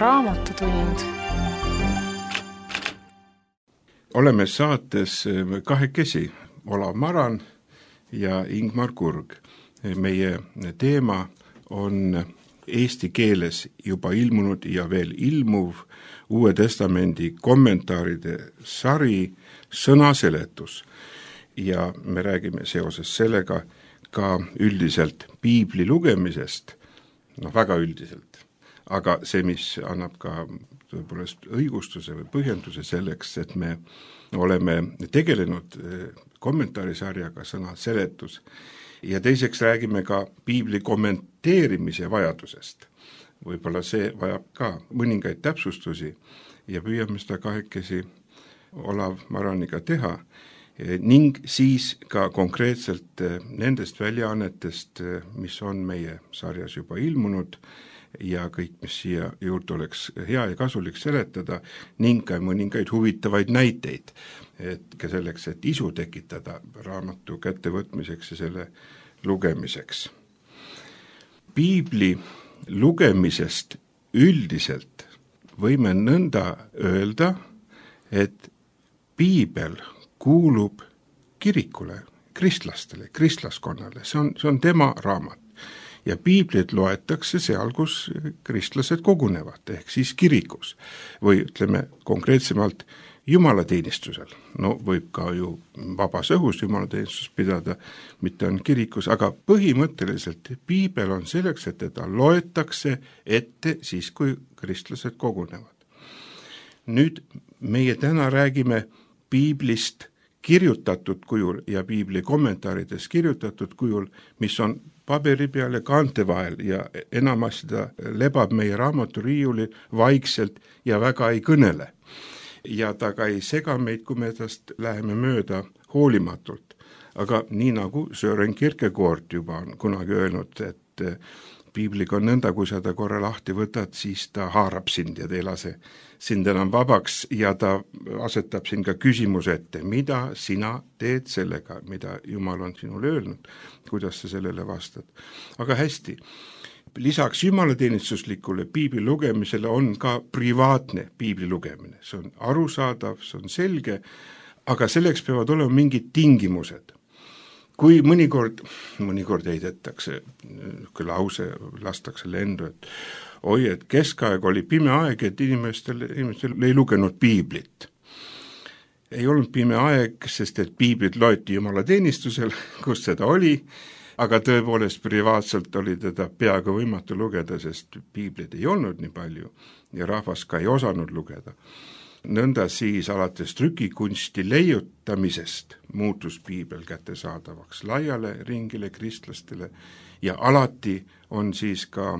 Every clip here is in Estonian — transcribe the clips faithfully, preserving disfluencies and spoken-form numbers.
Raamatutund. Oleme saates kahekesi, Olav Maran ja Ingmar Kurg. Meie teema on eesti keeles juba ilmunud ja veel ilmuv Uue Testamendi kommentaaride sari Sõnaseletus. Ja me räägime seoses sellega ka üldiselt piibli lugemisest, noh väga üldiselt, aga see, mis annab ka tõepoolest õigustuse või põhjenduse selleks, et me oleme tegelenud kommentaarisarjaga Sõnaseletus ja teiseks räägime ka piibli kommenteerimise vajadusest. Võib-olla see vajab ka mõningaid täpsustusi ja püüame seda kahekesi Olav Maraniga teha ning siis ka konkreetselt nendest väljaannetest, mis on meie sarjas juba ilmunud ja kõik, mis siia juurde oleks hea ja kasulik seletada ning ka mõningaid huvitavaid näiteid, et ka selleks, et isu tekitada raamatu kättevõtmiseks ja selle lugemiseks. Piibli lugemisest üldiselt võime nõnda öelda, et piibel kuulub kirikule, kristlastele, kristlaskonnale, see on, see on tema raamat. Ja piiblit loetakse seal, kus kristlased kogunevad, ehk siis kirikus või ütleme konkreetsemalt jumalateenistusel. No võib ka ju vabas õhus jumalateenistus pidada, mitte on kirikus, aga põhimõtteliselt piibel on selleks, et teda loetakse ette siis, kui kristlased kogunevad. Nüüd meie täna räägime piiblist kirjutatud kujul ja piibli kommentaarides kirjutatud kujul, mis on paberi peal ja kaante vahel ja enamasti ta lebab meie raamaturiiuli vaikselt ja väga ei kõnele. Ja ta ka ei sega meid, kui me tast läheme mööda hoolimatult. Aga nii nagu Søren Kierkegaard juba on kunagi öelnud, et piibliga on nõnda, kui sa ta korra lahti võtad, siis ta haarab sind ja ta ei lase sind enam vabaks ja ta asetab sind ka küsimuse ette, mida sina teed sellega, mida Jumal on sinule öelnud, kuidas sa sellele vastad. Aga hästi, lisaks jumalateenistuslikule piibli lugemisele on ka privaatne piibli lugemine. See on arusaadav, see on selge, aga selleks peavad olema mingid tingimused. Kui mõnikord, mõnikord heidetakse, kui lause lastakse lendu, et oi, et keskaeg oli pime aeg, et inimestel, inimestel ei lugenud piiblit. Ei olnud pime aeg, sest et piiblit loeti jumalateenistusel, kus seda oli, aga tõepoolest privaatselt oli teda peaaegu võimatu lugeda, sest piiblit ei olnud nii palju ja rahvas ka ei osanud lugeda. Nõnda siis alates trükikunsti leiutamisest muutus piibel kättesaadavaks laiale ringile kristlastele ja alati on siis ka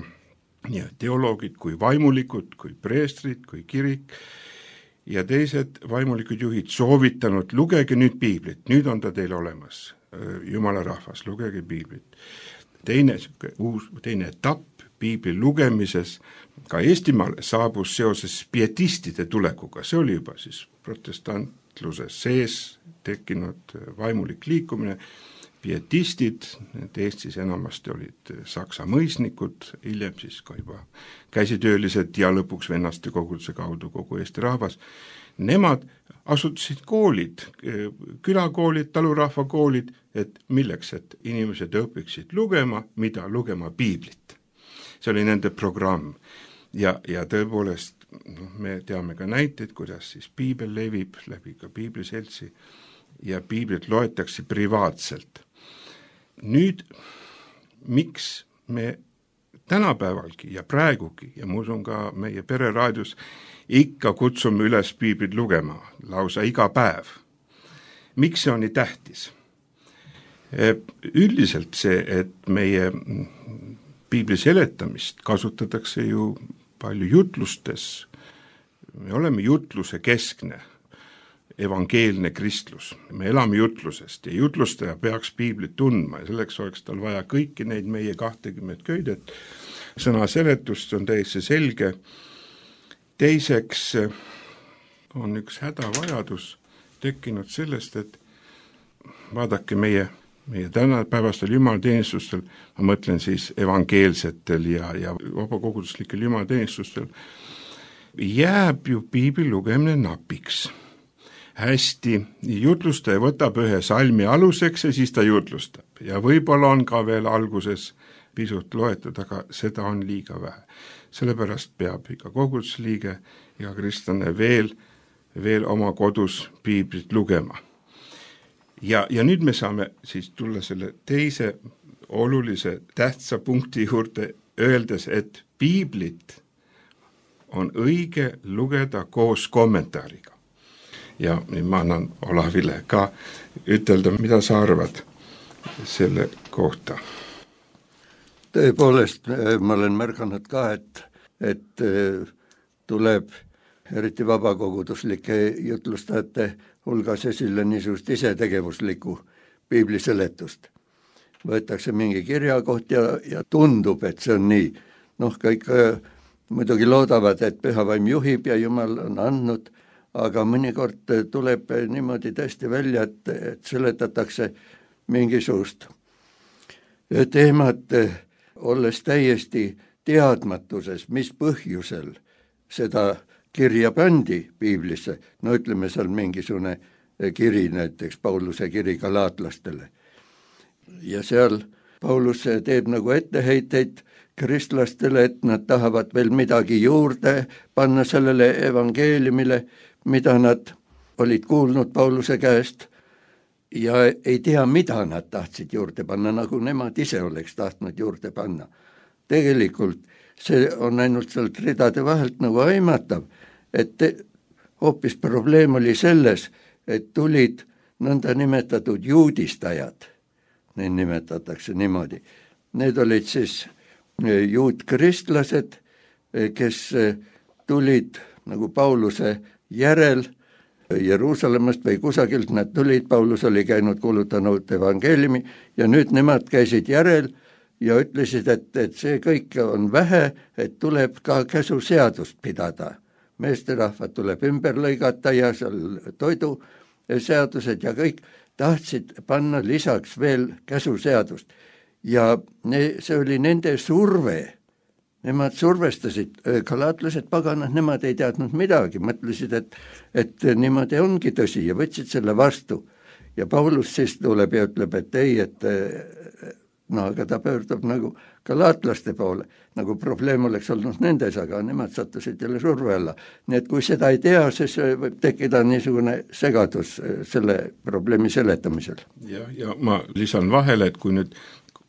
nii teoloogid kui vaimulikud, kui preestrid, kui kirik ja teised vaimulikud juhid soovitanud, lugege nüüd piiblit, nüüd on ta teil olemas, Jumala rahvas, lugege piiblit. Teine, uus, teine etapp piibli lugemises ka Eestimaale saabus seoses pietistide tulekuga, see oli juba siis protestantluse sees tekkinud vaimulik liikumine, pietistid, need Eestis enamasti olid saksa mõisnikud, hiljem siis ka juba käsitöölised ja lõpuks vennaste koguduse kaudu kogu Eesti rahvas, nemad asutasid koolid, külakoolid, talurahvakoolid, et milleks, et inimesed õpiksid lugema, mida lugema piiblit. See oli nende programm ja, ja tõepoolest no, me teame ka näiteid, kuidas siis piibel levib läbi ka piibliseltsi ja piiblit loetakse privaatselt. Nüüd, miks me tänapäevalgi ja praegugi ja ma usun ka meie pereraadios ikka kutsume üles piiblit lugema lausa iga päev. Miks see on nii tähtis? Üldiselt see, et meie piibli seletamist kasutatakse ju palju jutlustes. Me oleme jutluse keskne, evangeelne kristlus. Me elame jutlusest ja jutlustaja peaks piiblit tundma ja selleks oleks tal vaja kõiki neid meie kahtekümmet köidet. Sõnaseletust on täiesti selge. Teiseks on üks hädavajadus tekkinud sellest, et vaadake meie meie tänapäevastel jumalateenistustel, ma mõtlen siis evangeelsetel ja, ja vabakoguduslikel jumalateenistustel, jääb ju piibli lugemine napiks. Hästi, jutlustaja võtab ühe salmi aluseks ja siis ta jutlustab. Ja võib-olla on ka veel alguses pisut loetud, aga seda on liiga vähe. Sellepärast peab iga kogudusliige, iga kristlane veel, veel oma kodus piiblit lugema. Ja, ja nüüd me saame siis tulla selle teise olulise tähtsa punkti juurde, öeldes, et piiblit on õige lugeda koos kommentaariga. Ja ma annan Olavile ka ütelda, mida sa arvad selle kohta. Tõepoolest, ma olen märganud ka, et, et tuleb eriti vabakoguduslike jutlustajate hulgas esile niisugust isetegevuslikku piibliseletust. Võetakse mingi kirjakoht ja, ja tundub, et see on nii. Noh, kõik muidugi loodavad, et pühavaim juhib ja Jumal on andnud, aga mõnikord tuleb niimoodi tõesti välja, et, et seletatakse mingisugust teemat, olles täiesti teadmatuses, mis põhjusel seda kirja pandi piiblisse. No ütleme, seal mingisugune kiri, näiteks Pauluse kiri galaatlastele. Ja seal Paulus teeb nagu etteheiteid kristlastele, et nad tahavad veel midagi juurde panna sellele evangeeliumile, mida nad olid kuulnud Pauluse käest ja ei tea, mida nad tahtsid juurde panna, nagu nemad ise oleks tahtnud juurde panna. Tegelikult see on ainult sealt ridade vahelt nagu aimatav, et hoopis probleem oli selles, et tulid nõnda nimetatud juudistajad, neid nimetatakse niimoodi. Need olid siis juutkristlased, kes tulid nagu Pauluse järel Jeruusalemmast või kusagilt, nad tulid, Paulus oli käinud kuulutanud evangeeliumi ja nüüd nemad käisid järel ja ütlesid, et, et see kõik on vähe, et tuleb ka käsuseadust pidada. Meesterahvad tuleb ümber lõigata ja seal toiduseadused ja kõik tahtsid panna lisaks veel käsuseadust. Ja ne, see oli nende surve. Nemad survestasid, galaatlased paganad, nemad ei teadnud midagi, mõtlesid, et, et niimoodi ongi tõsi ja võtsid selle vastu. Ja Paulus siis tuleb ja ütleb, et ei, et no aga ta pöördub nagu galaatlaste poole, nagu probleem oleks olnud nendes, aga nemad sattusid jälle surve alla. Nii et kui seda ei tea, siis võib tekkida niisugune segadus selle probleemi seletamisel. Ja, ja ma lisan vahele, et kui nüüd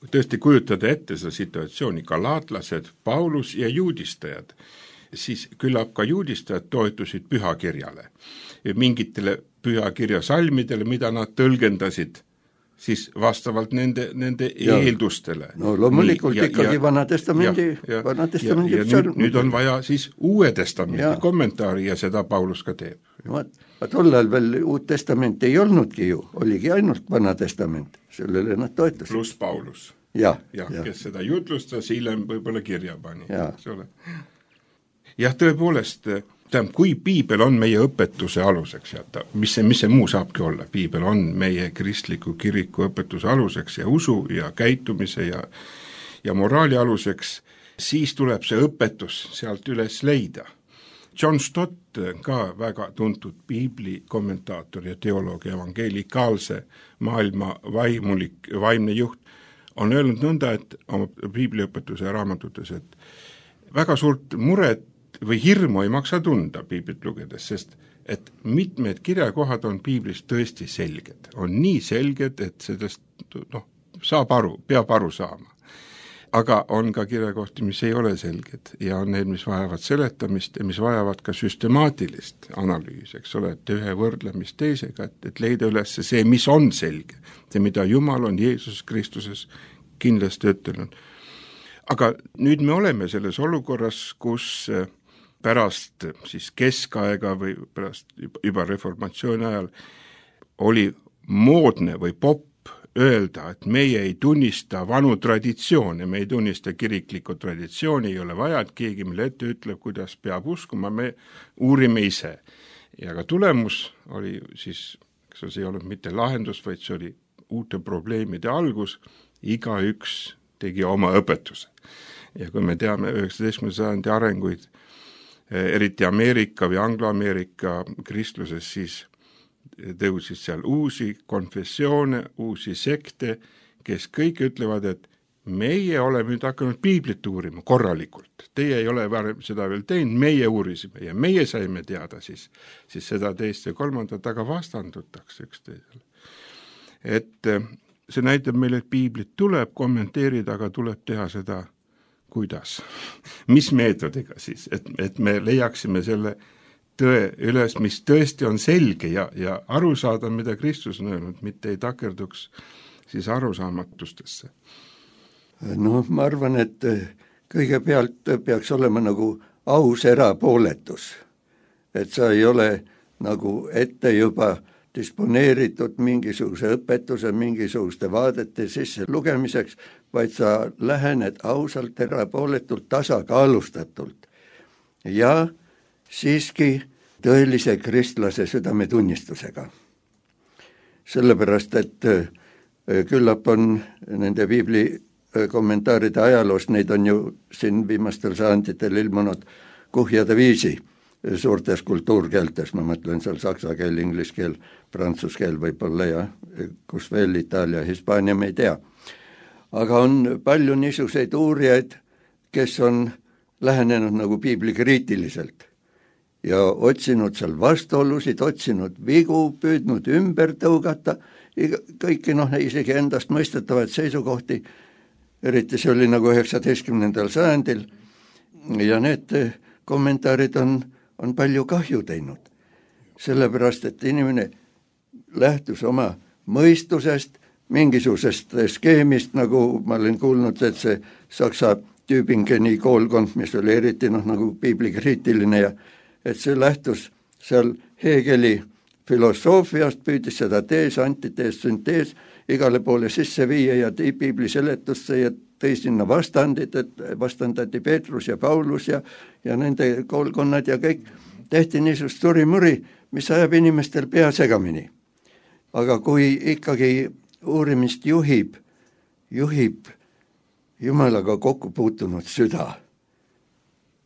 tõesti kujutada ette seda situatsiooni, galaatlased, Paulus ja juudistajad, siis küllap ka juudistajad toetusid pühakirjale, mingitele pühakirja salmidele, mida nad tõlgendasid siis vastavalt nende, nende ja. eeldustele. No loomulikult Nii, ikkagi ja, Vana Testamendi, ja, Vana Testamendi ja, ja nüüd, nüüd on vaja siis Uue Testamendi ja. kommentaari ja seda Paulus ka teeb. Vaat tollal veel Uut Testamenti ei olnudki ju, oligi ainult Vana Testament, sellele nad toetasid. Plus Paulus. Ja, ja, ja. Kes seda jutlustas, hiljem võib-olla kirja pani. Ja. Jah, tõepoolest, tähendab, kui piibel on meie õpetuse aluseks, ja mis see, mis see muu saabki olla, piibel on meie kristliku kiriku õpetuse aluseks ja usu ja käitumise ja, ja moraali aluseks, siis tuleb see õpetus sealt üles leida. John Stott, ka väga tuntud piibli kommentaator ja teoloog, evangeelikaalse maailma vaimulik, vaimne juht, on öelnud nõnda, et oma piibliõpetuse raamatutes, et väga suurt muret või hirmu ei maksa tunda piiblit lugedes, sest et mitmed kirjakohad on piiblis tõesti selged. On nii selged, et sellest noh, saab aru, peab aru saama. Aga on ka kirjakohti, mis ei ole selged ja on need, mis vajavad seletamist ja mis vajavad ka süstemaatilist analüüsi, eks ole, et ühe võrdlemist teisega, et, et leida üles see, mis on selge, see, mida Jumal on Jeesus Kristuses kindlasti ütelnud. Aga nüüd me oleme selles olukorras, kus pärast siis keskaega või pärast juba reformatsiooni ajal oli moodne või popp öelda, et meie ei tunnista vanu traditsioone, me ei tunnista kiriklikku traditsiooni, ei ole vaja, et keegi meile ette ütleb, kuidas peab uskuma, me uurime ise. Ja ka tulemus oli siis, kas see ei olnud mitte lahendus, vaid see oli uute probleemide algus, igaüks tegi oma õpetuse. Ja kui me teame üheksateistkümnenda sajandi arenguid, eriti Ameerika või Anglo-Ameerika kristluses, siis tõusis seal uusi konfessioone, uusi sekte, kes kõik ütlevad, et meie oleme nüüd hakanud piiblit uurima korralikult. Teie ei ole varem seda veel teinud, meie uurisime ja meie saime teada siis, siis seda teist ja kolmandat, aga vastandutakse üksteisele. Et see näitab meile, et piiblit tuleb kommenteerida, aga tuleb teha seda kuidas, mis meetodiga siis, et, et me leiaksime selle tõe üles, mis tõesti on selge ja, ja aru saada, mida Kristus on öelnud, mitte ei takerduks siis arusaamatustesse. No ma arvan, et kõigepealt peaks olema nagu aus erapooletus, et sa ei ole nagu ette juba disponeeritud mingisuguse õpetuse, mingisuguste vaadete sisse lugemiseks, vaid sa lähened ausalt, erapooletult, tasakaalustatult ja siiski tõelise kristlase südametunnistusega. Sellepärast, et küllap on nende piibli kommentaaride ajaloos, neid on ju siin viimastel sajanditel ilmunud kuhjade viisi suurtes kultuurkeeltes, ma mõtlen seal saksa keel, inglise keel, prantsuse keel võib-olla ja kus veel Itaalia, Hispaania, me ei tea. Aga on palju niisuguseid uurijaid, kes on lähenenud nagu piibli kriitiliselt ja otsinud seal vastuolusid, otsinud vigu, püüdnud ümber tõugata, kõiki noh, isegi endast mõistetavaid seisukohti, eriti see oli nagu üheksateistkümnendal sajandil ja need kommentaarid on, on palju kahju teinud. Sellepärast, et inimene lähtus oma mõistusest, mingisugusest skeemist, nagu ma olen kuulnud, et see Saksa Tübingeni koolkond, mis oli eriti noh, nagu piiblikriitiline ja et see lähtus seal Hegeli filosoofiast, püüdis seda tees, antitees, süntees igale poole sisse viia ja tõi piibli seletusse ja tõi sinna vastandid, et vastandati Peetrus ja Paulus ja, ja nende koolkonnad ja kõik tehti niisugust surimuri, mis ajab inimestel pea segamini. Aga kui ikkagi uurimist juhib, juhib Jumalaga kokku puutunud süda,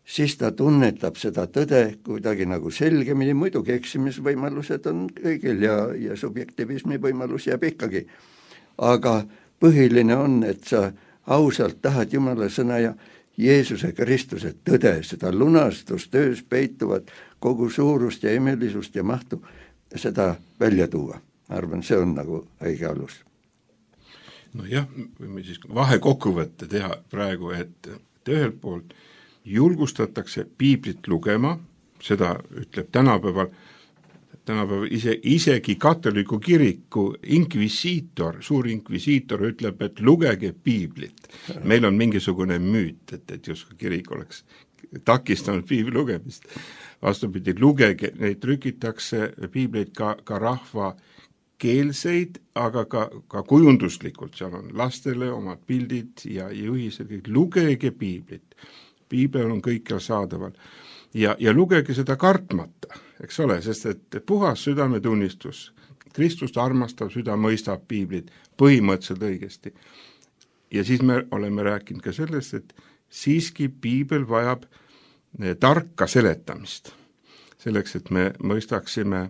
siis ta tunnetab seda tõde kuidagi nagu selgemini, muidugi eksimisvõimalused on kõigil ja, ja subjektivismi võimalus jääb ikkagi. Aga põhiline on, et sa ausalt tahad Jumala sõna ja Jeesuse Kristuse tõde, seda lunastustöös peituvat kogu suurust ja imelisust ja mahtu, seda välja tuua. Ma arvan, see on nagu õige alus. No jah, võime siis vahekokkuvõtte teha praegu, et ühelt poolt julgustatakse piiblit lugema, seda ütleb tänapäeval, tänapäeval ise, isegi katoliku kiriku inkvisiitor, suur inkvisiitor ütleb, et lugege piiblit. Meil on mingisugune müüt, et, et justkui kirik oleks takistanud piibli lugemist. Vastupidi, lugege, neid trükitakse piibleid ka, ka rahva keelseid, aga ka, ka kujunduslikult, seal on lastele omad pildid ja juhised, kõik lugege piiblit. Piibel on kõikjal saadaval ja, ja lugege seda kartmata, eks ole, sest et puhas südametunnistus, Kristust armastav süda mõistab piiblit põhimõtteliselt õigesti. Ja siis me oleme rääkinud ka sellest, et siiski piibel vajab tarka seletamist, selleks, et me mõistaksime,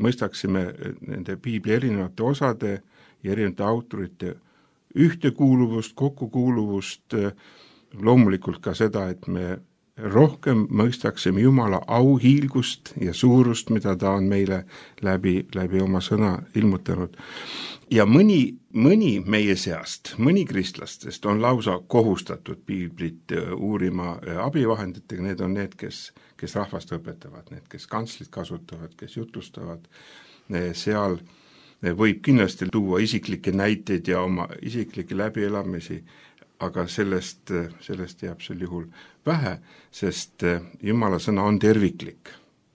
mõistaksime nende piibli erinevate osade ja erinevate autorite ühtekuuluvust, kokkukuuluvust, loomulikult ka seda, et me rohkem mõistaksime Jumala auhiilgust ja suurust, mida ta on meile läbi, läbi oma sõna ilmutanud. Ja mõni, mõni meie seast, mõni kristlastest on lausa kohustatud piiblit uurima abivahenditega, need on need, kes, kes rahvast õpetavad, need, kes kantslit kasutavad, kes jutustavad, seal võib kindlasti tuua isiklikke näiteid ja oma isiklikke läbielamisi, aga sellest, sellest jääb sel juhul vähe, sest Jumala sõna on terviklik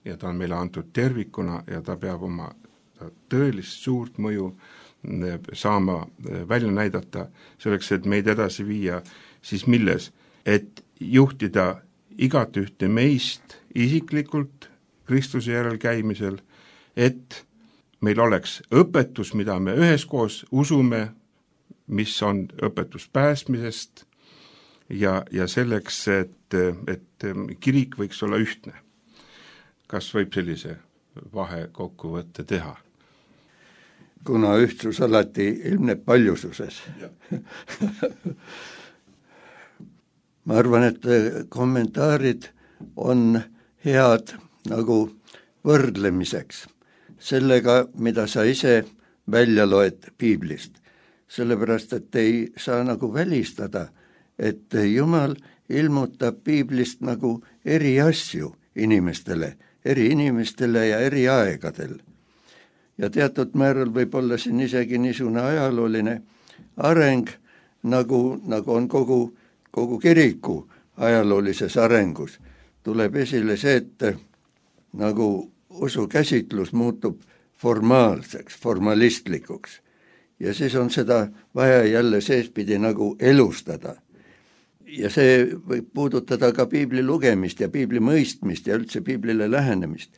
ja ta on meile antud tervikuna ja ta peab oma tõelist suurt mõju saama välja näidata selleks, et meid edasi viia, siis milles, et juhtida igat ühte meist isiklikult Kristuse järel käimisel, et meil oleks õpetus, mida me üheskoos usume, mis on õpetus päästmisest, ja, ja selleks, et, et kirik võiks olla ühtne. Kas võib sellise vahekokkuvõtte teha? Kuna ühtsus alati ilmneb paljususes. Ma arvan, et kommentaarid on head nagu võrdlemiseks sellega, mida sa ise välja loed piiblist. Sellepärast, et ei saa nagu välistada, et Jumal ilmutab piiblist nagu eri asju inimestele, eri inimestele ja eri aegadel. Ja teatud määral võib olla siin isegi niisugune ajalooline areng, nagu, nagu on kogu, kogu kiriku ajaloolises arengus. Tuleb esile see, et nagu usukäsitlus muutub formaalseks, formalistlikuks. Ja siis on seda vaja jälle seespidi nagu elustada. Ja see võib puudutada ka piibli lugemist ja piibli mõistmist ja üldse piiblile lähenemist.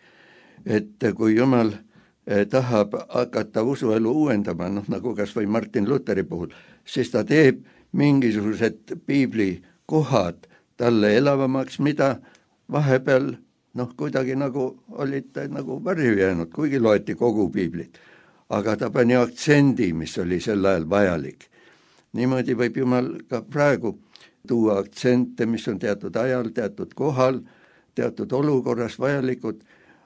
Et kui Jumal tahab hakata usuelu uuendama, noh nagu kas või Martin Lutheri puhul, siis ta teeb mingisugused piibli kohad talle elavamaks, mida vahepeal noh kuidagi nagu olid nagu varju jäänud, kuigi loeti kogu piiblit. Aga ta pani aktsendi, mis oli sel ajal vajalik. Niimoodi võib Jumal ka praegu tuua aktsente, mis on teatud ajal, teatud kohal, teatud olukorras vajalikud,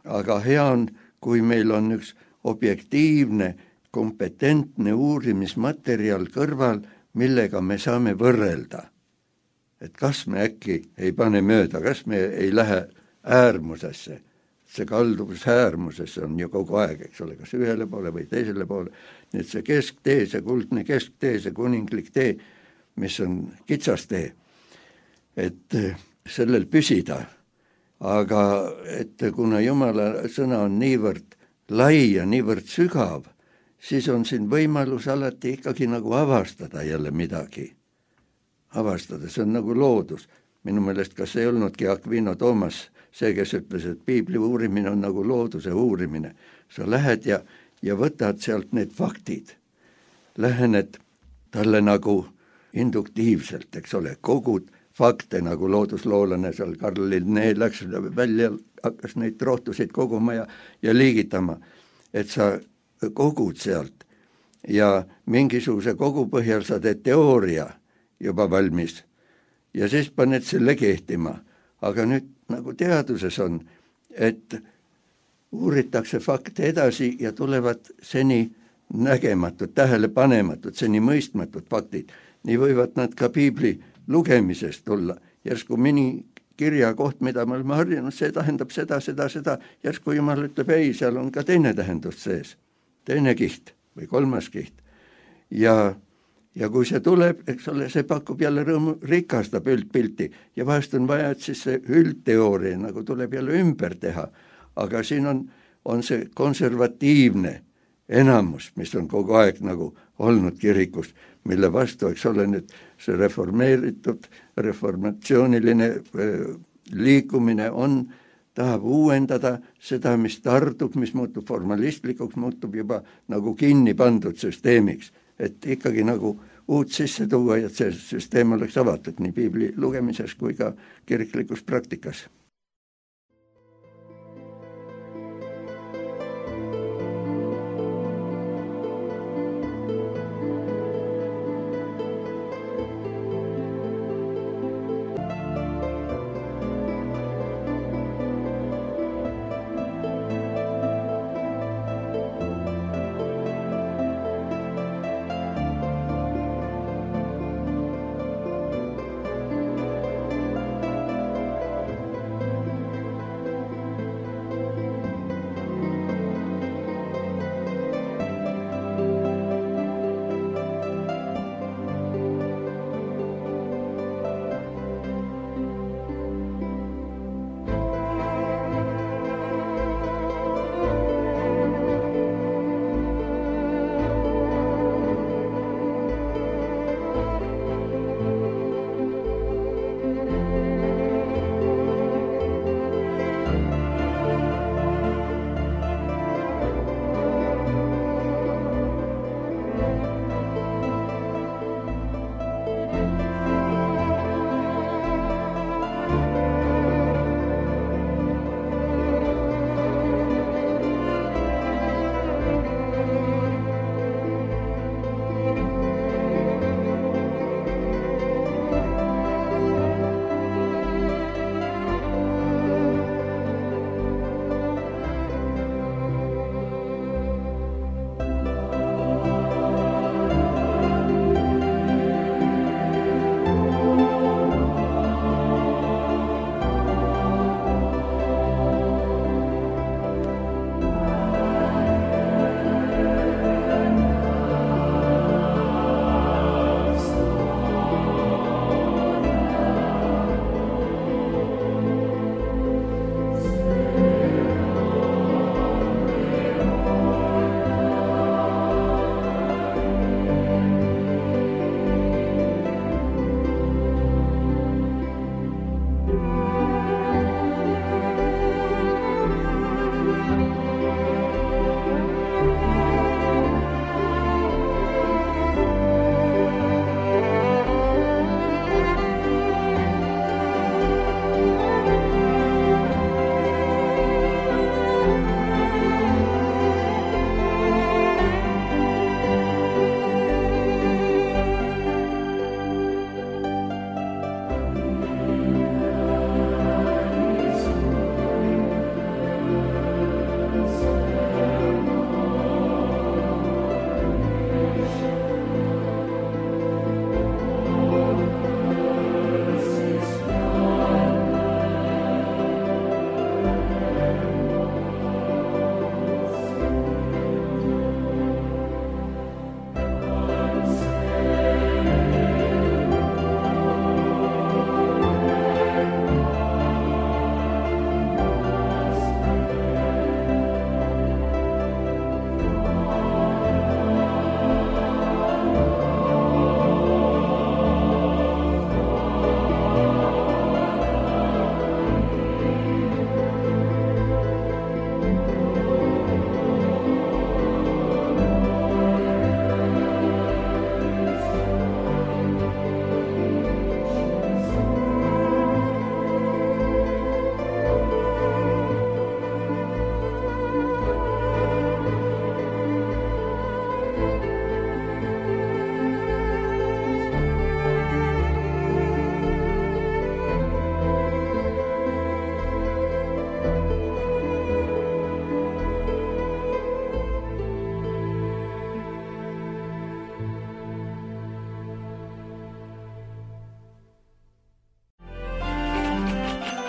aga hea on, kui meil on üks objektiivne, kompetentne uurimismaterjal kõrval, millega me saame võrrelda. Et kas me äkki ei pane mööda, kas me ei lähe äärmusesse. See kalduvus äärmusesse on ju kogu aeg, eks ole, kas ühele poole või teisele poole. Nii et see kesktee, see kuldne kesktee, see kuninglik tee, mis on kitsas tee, et sellel püsida. Aga et kuna Jumala sõna on niivõrd lai ja niivõrd sügav, siis on siin võimalus alati ikkagi nagu avastada jälle midagi. Avastada, see on nagu loodus. Minu meelest kas ei olnudki Aquino Toomas see, kes ütles, et piibli uurimine on nagu looduse uurimine. Sa lähed ja, ja võtad sealt need faktid. Lähened talle nagu induktiivselt, eks ole, kogud fakte nagu loodusloolane seal Karl Linné läks välja, hakkas neid rohtusid koguma ja, ja liigitama, et sa kogud sealt ja mingisuguse kogu põhjal sa teed teooria juba valmis ja siis paned selle kehtima. Aga nüüd nagu teaduses on, et uuritakse fakte edasi ja tulevad seni nägematud, tähelepanematud, seni mõistmatud faktid. Nii võivad nad ka piibli lugemisest tulla. Järsku mini kirja koht, mida me oleme harjunud, see tähendab seda, seda, seda. Järsku Jumal ütleb, ei, seal on ka teine tähendus sees. Teine kiht või kolmas kiht. Ja, ja kui see tuleb, eks ole, see pakub jälle rõõmu, rikastab üldpilti. Ja vahest on vaja, et siis see üldteooria nagu tuleb jälle ümber teha. Aga siin on, on see konservatiivne enamus, mis on kogu aeg nagu olnud kirikus, mille vastu, eks ole nüüd see reformeeritud, reformatsiooniline liikumine on, tahab uuendada seda, mis tardub, mis muutub formalistlikuks, muutub juba nagu kinni pandud süsteemiks, et ikkagi nagu uut sisse tuua ja see süsteem oleks avatud nii piibli lugemises kui ka kiriklikus praktikas.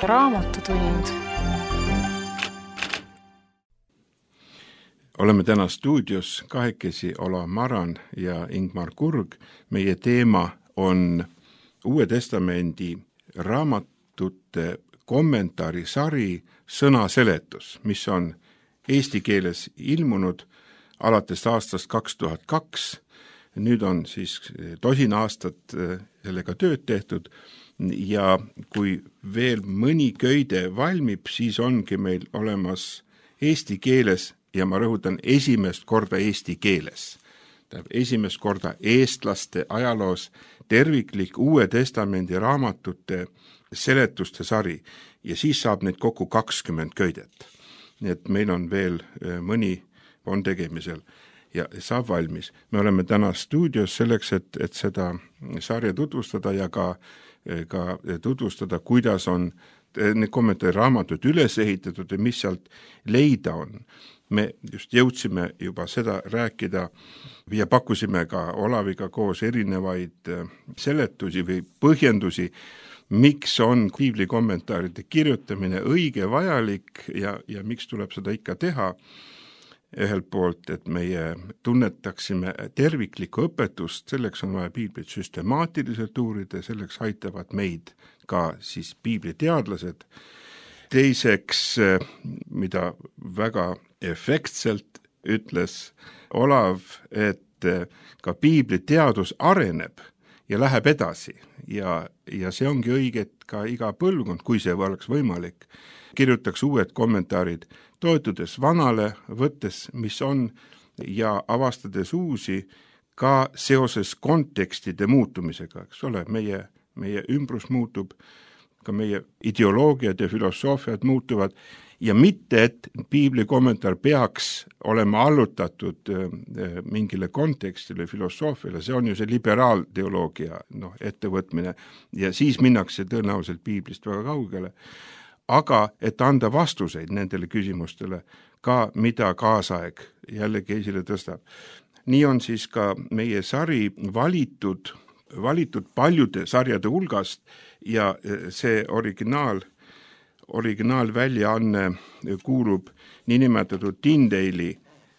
Raamatutund. Oleme täna stuudios kahekesi Ola Maran ja Ingmar Kurg. Meie teema on Uue Testamendi raamatute kommentaarisari sõnaseletus, mis on eesti keeles ilmunud alates aastast kaks tuhat kaks. Nüüd on siis tosin aastat sellega tööd tehtud ja kui veel mõni köide valmib, siis ongi meil olemas eesti keeles ja ma rõhutan esimest korda eesti keeles. Tähendab, esimest korda eestlaste ajaloos terviklik Uue Testamendi raamatute seletuste sari ja siis saab neid kokku kakskümmend köidet. Nii et meil on veel mõni on tegemisel ja saab valmis. Me oleme täna stuudios selleks, et, et seda sarja tutvustada ja ka, ka tutvustada, kuidas on need kommentaari raamatud üles ehitatud ja mis sealt leida on. Me just jõudsime juba seda rääkida ja pakkusime ka Olaviga koos erinevaid seletusi või põhjendusi, miks on piibli kommentaaride kirjutamine õige, vajalik ja, ja miks tuleb seda ikka teha. Ühelt poolt, et meie tunnetaksime terviklikku õpetust, selleks on vaja piiblit süstemaatiliselt uurida, selleks aitavad meid ka siis piibliteadlased. Teiseks, mida väga efektselt ütles Olav, et ka piibliteadus areneb ja läheb edasi ja, ja see ongi õige, et ka iga põlvkond, kui see oleks võimalik, kirjutaks uued kommentaarid, toetudes vanale, võttes, mis on, ja avastades uusi ka seoses kontekstide muutumisega, eks ole, meie, meie ümbrus muutub, ka meie ideoloogiad ja filosoofiad muutuvad ja mitte, et piibli kommentaar peaks olema allutatud mingile kontekstile, filosoofiale, see on ju see liberaalteoloogia no, ettevõtmine ja siis minnakse tõenäoliselt piiblist väga kaugele. Aga et anda vastuseid nendele küsimustele ka, mida kaasaeg jällegi esile tõstab. Nii on siis ka meie sari valitud, valitud paljude sarjade hulgast ja see originaal, originaalväljaanne kuulub niinimetatud Tyndale'i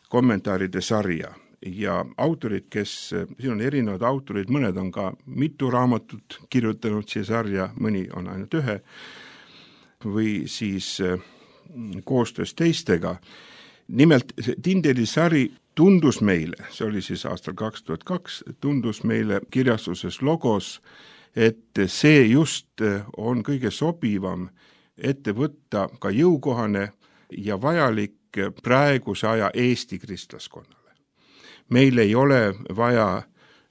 kommentaaride sarja ja autorid, kes, siin on erinevad autorid, mõned on ka mitu raamatut kirjutanud siia sarja, mõni on ainult ühe, või siis koostöös teistega. Nimelt Tyndale'i sari tundus meile, see oli siis aastal kaks tuhat kaks, tundus meile kirjastuses Logos, et see just on kõige sobivam ette võtta ka jõukohane ja vajalik praeguse aja Eesti kristlaskonnale. Meil ei ole vaja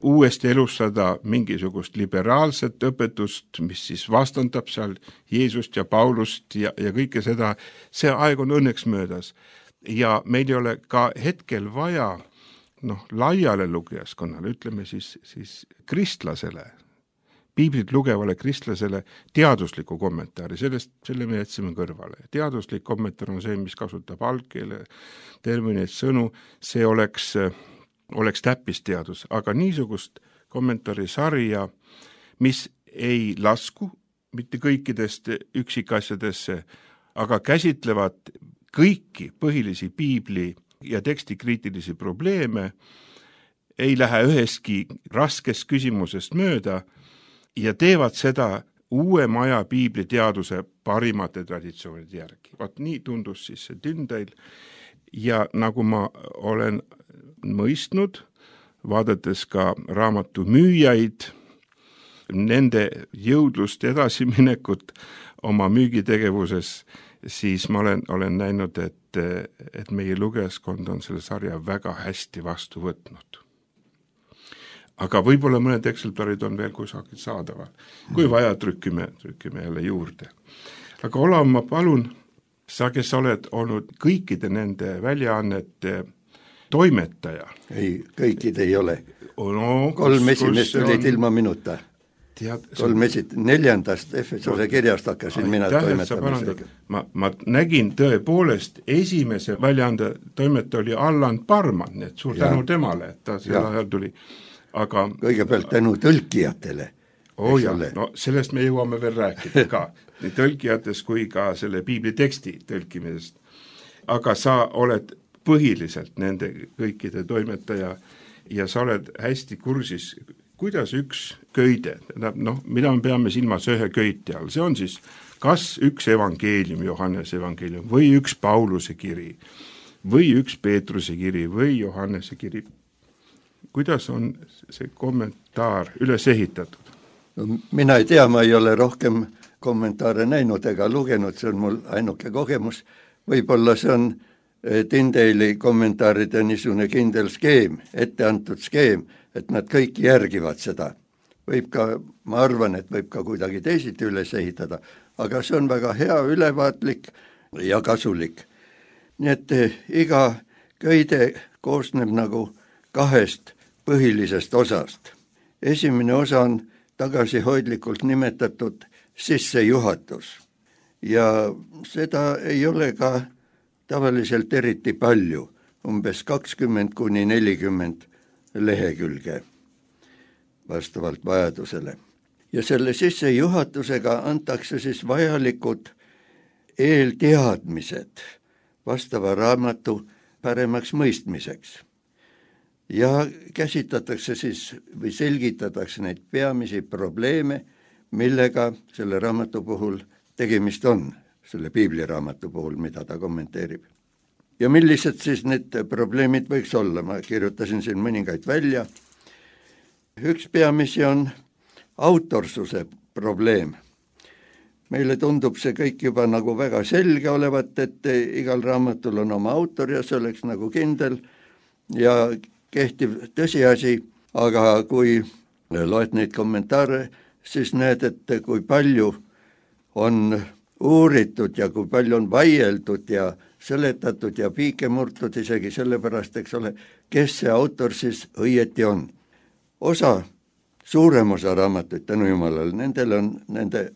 uuesti elustada mingisugust liberaalset õpetust, mis siis vastandab seal Jeesust ja Paulust ja, ja kõike seda. See aeg on õnneks möödas ja meil ei ole ka hetkel vaja noh, laiale lugejaskonnale, ütleme siis, siis kristlasele, piiblit lugevale kristlasele teadusliku kommentaari, sellest, selle me jätsime kõrvale. Teaduslik kommentaar on see, mis kasutab algkeele termineid, sõnu, see oleks oleks täppisteadus, aga niisugust kommentaarisarja, mis ei lasku mitte kõikidest üksikasjadesse, aga käsitlevad kõiki põhilisi piibli ja tekstikriitilisi probleeme, ei lähe üheski raskest küsimusest mööda ja teevad seda uuema aja piibliteaduse parimate traditsioonide järgi. Vaat nii tundus siis see Tyndale ja nagu ma olen mõistnud, vaadates ka raamatu müüjaid, nende jõudlust edasiminekut oma müügitegevuses, siis ma olen, olen näinud, et, et meie lugejaskond on selle sarja väga hästi vastu võtnud. Aga võib-olla mõned eksemplarid on veel kusagil saadaval. Kui vaja, trükkime, trükkime jälle juurde. Aga Olav, ma palun, sa, kes oled olnud kõikide nende väljaannete toimetaja. Ei, kõikid ei ole. No, kolm esimest olid ilma minuta. Tead, kolm esit-, neljandast Efesose kirjast hakkasin mina toimetamisega. Ma, ma nägin tõepoolest esimese väljaande toimetaja oli Allan Parman, et suur tänu temale, et ta selle ajal tuli. Aga kõigepealt tänu tõlkijatele, oo jah, no sellest me jõuame veel rääkida ka, nii tõlkijates kui ka selle piibliteksti tõlkimisest. Aga sa oled põhiliselt nende kõikide toimetaja ja sa oled hästi kursis, kuidas üks köide, noh, mida me peame silmas ühe köite all, see on siis kas üks evangeelium, Johannese evangeelium, või üks Pauluse kiri, või üks Peetruse kiri, või Johannese kiri. Kuidas on see kommentaar üles ehitatud? No, mina ei tea, ma ei ole rohkem kommentaare näinud ega lugenud, see on mul ainuke kogemus. Võib-olla see on Tyndale'i kommentaaride niisugune kindel skeem, ette antud skeem, et nad kõik järgivad seda. Võib ka, ma arvan, et võib ka kuidagi teisiti üles ehitada, aga see on väga hea, ülevaatlik ja kasulik. Nii et iga köide koosneb nagu kahest põhilisest osast. Esimene osa on tagasihoidlikult nimetatud sissejuhatus ja seda ei ole ka tavaliselt eriti palju, umbes kakskümmend kuni nelikümmend lehekülge vastavalt vajadusele. Ja selle sissejuhatusega antakse siis vajalikud eelteadmised vastava raamatu paremaks mõistmiseks. Ja käsitletakse siis või selgitatakse neid peamisi probleeme, millega selle raamatu puhul tegemist on, selle piibliraamatu puhul, mida ta kommenteerib. Ja millised siis need probleemid võiks olla, ma kirjutasin siin mõningaid välja. Üks peamisi on autorsuse probleem. Meile tundub see kõik juba nagu väga selge olevat, et igal raamatul on oma autor ja see oleks nagu kindel ja kehtiv tõsiasi, aga kui loed neid kommentaare, siis näed, et kui palju on uuritud ja kui palju on vaieldud ja seletatud ja piike murtud isegi sellepärast, eks ole, kes see autor siis õieti on. Osa, suurem osa raamatuid, tänu jumalale, nendel on, nende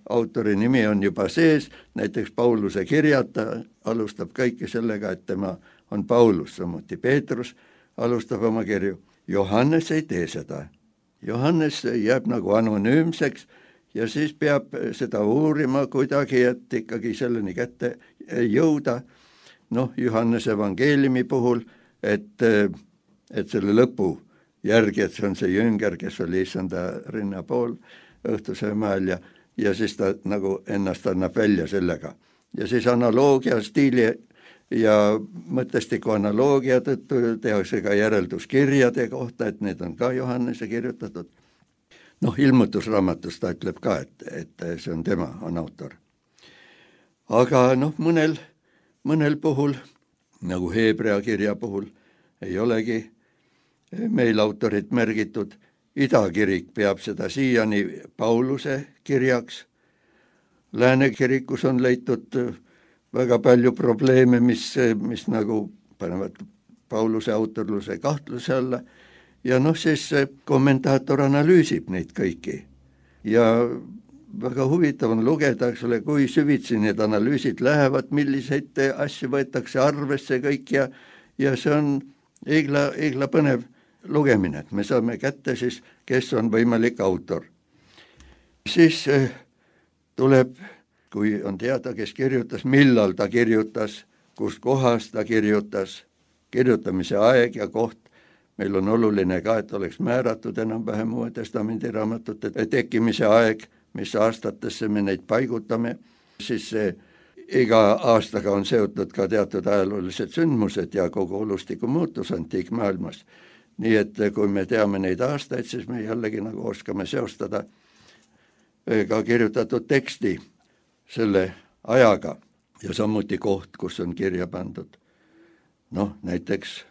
autori nimi on juba sees, näiteks Pauluse kirjad, ta alustab kõike sellega, et tema on Paulus, samuti Peetrus alustab oma kirju. Johannes ei tee seda. Johannes jääb nagu anonüümseks ja siis peab seda uurima kuidagi, et ikkagi selleni kätte jõuda. Noh, Johannese evangeeliumi puhul, et, et selle lõpu järgi, et see on see jünger, kes oli issanda rinna pool õhtuse mäel ja, ja siis ta nagu ennast annab välja sellega. Ja siis analoogia stiili ja mõtestiku analoogia tõttu tehakse ka järelduskirjade kohta, et need on ka Johannese kirjutatud. Noh, ilmutusraamatus ta ütleb ka, et, et see on tema, on autor. Aga noh, mõnel, mõnel puhul, nagu Heebrea kirja puhul, ei olegi meil autorit märgitud. Idakirik peab seda siiani Pauluse kirjaks. Lääne kirikus on leitud väga palju probleeme, mis, mis nagu panevad Pauluse autorluse kahtluse alla. Ja noh, siis kommentaator analüüsib neid kõiki. Ja väga huvitav on lugeda, eks ole, kui süvitsi need analüüsid lähevad, milliseid asju võetakse arvesse kõik ja, ja see on igla, igla põnev lugemine, et me saame kätte siis, kes on võimalik autor. Siis tuleb, kui on teada, kes kirjutas, millal ta kirjutas, kus kohas ta kirjutas, kirjutamise aeg ja koht. Meil on oluline ka, et oleks määratud enam-vähem Uue Testamendi raamatute tekkimise aeg, mis aastatesse me neid paigutame, siis see iga aastaga on seotud ka teatud ajaloolised sündmused ja kogu olustiku muutus antiikmaailmas. Nii et kui me teame neid aastaid, siis me jällegi nagu oskame seostada ka kirjutatud teksti selle ajaga ja samuti koht, kus on kirja pandud. Noh, näiteks,